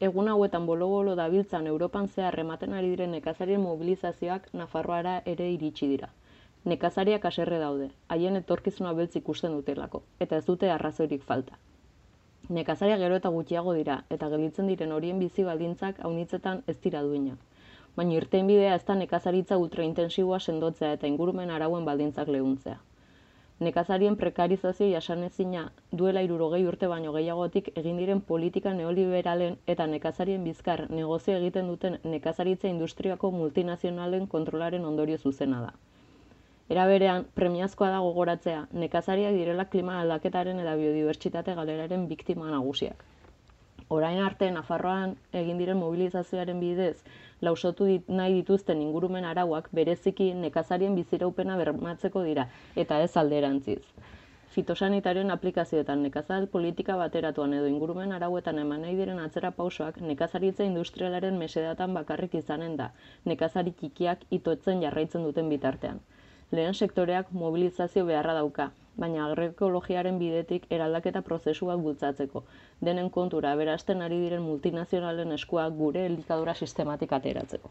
Egun hauetan bolo-bolo dabiltzan Europan zehar ematen ari diren nekazarien mobilizazioak Nafarroara ere iritsi dira. Nekazariak haserre daude, haien etorkizuna beltz ikusten dutelako, eta ez dute arrazoirik falta. Nekazariak gero eta gutxiago dira, eta gelditzen diren horien bizi baldintzak aunitzetan ez dira duinak. Baina irtenbidea ez da nekazaritza ultraintensiboa sendotzea eta ingurumen arauen baldintzak leuntzea. Nekazarien prekarizazio jasanezina duela 60 urte baino gehiagotik egin diren politika neoliberalen eta nekazarien bizkar negozio egiten duten nekazaritza industriako multinazionalen kontrolaren ondorio zuzena da. Era berean, premiazkoa da gogoratzea, nekazariak direla klima aldaketaren eta biodibertsitate galeraren biktima nagusiak. Orain arte, Nafarroan egin diren mobilizazioaren bidez, lausotu nahi dituzten ingurumen arauak bereziki nekazarien biziraupena bermatzeko dira, eta ez alderantziz. Fitosanitarioen aplikazioetan nekazal politika bateratuan edo ingurumen arauetan eman nahi diren atzera pausoak nekazaritza industrialaren mesedatan bakarrik izanen da, nekazari txikiak itotzen jarraitzen duten bitartean. Lehen sektoreak mobilizazio beharra dauka, baina agroekologiaren bidetik eraldaketa prozesuak bultzatzeko, denen kontura aberasten ari diren multinazionalen eskuak gure elikadura sistematik ateratzeko.